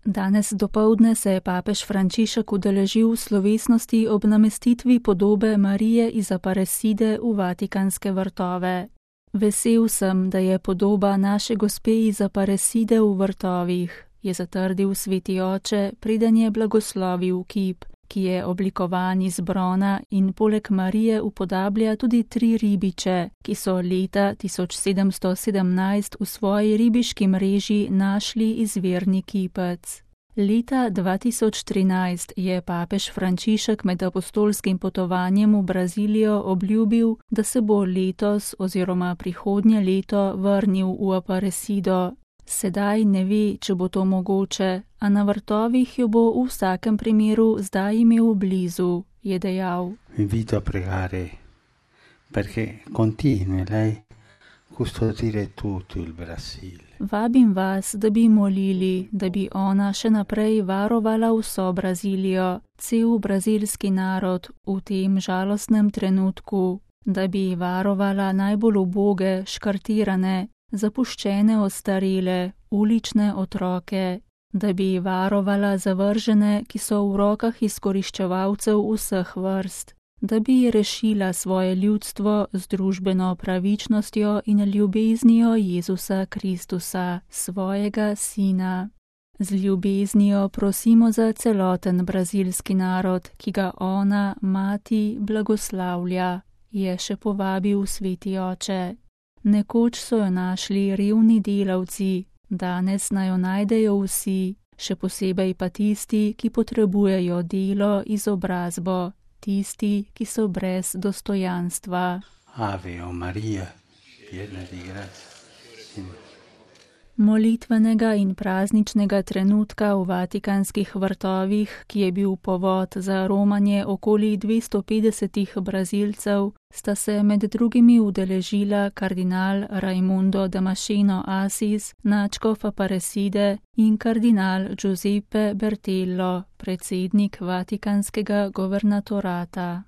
Danes dopoldne se je papež Frančišek udeležil slovesnosti ob namestitvi podobe Marije iz Aparecide v Vatikanske vrtove. Vesel sem, da je podoba naše gospe iz Aparecide v vrtovih, je zatrdil sveti oče, preden je blagoslovil kip, ki je oblikovan iz brona in poleg Marije upodablja tudi 3 ribiče, ki so leta 1717 v svoji ribiški mreži našli izvirni kipec. Leta 2013 je papež Frančišek med apostolskim potovanjem v Brazilijo obljubil, da se bo letos oziroma prihodnje leto vrnil v Aparecido. Sedaj ne ve, če bo to mogoče, a na vrtovih jo bo v vsakem primeru zdaj imel blizu, je dejal. Invito a pregare, perché continui lei custodire tutto il Brasile. Vabim vas, da bi molili, da bi ona še naprej varovala vso Brazilijo, cel brazilski narod v tem žalostnem trenutku, da bi varovala najbolj uboge, škartirane, zapuščene ostarele, ulične otroke, da bi varovala zavržene, ki so v rokah izkoriščevalcev vseh vrst, da bi rešila svoje ljudstvo z družbeno pravičnostjo in ljubeznijo Jezusa Kristusa, svojega sina. Z ljubeznijo prosimo za celoten brazilski narod, ki ga ona, mati, blagoslavlja, je še povabil sveti oče. Nekoč so jo našli revni delavci, danes naj jo najdejo vsi, še posebej pa tisti, ki potrebujejo delo, izobrazbo, tisti, ki so brez dostojanstva. Ave o Maria, piena di grazia. Molitvenega in prazničnega trenutka v Vatikanskih vrtovih, ki je bil povod za romanje okoli 250 Brazilcev, sta se med drugimi udeležila kardinal Raimundo Damasceno Assis, nadškof Aparecide, in kardinal Giuseppe Bertello, predsednik Vatikanskega governatorata.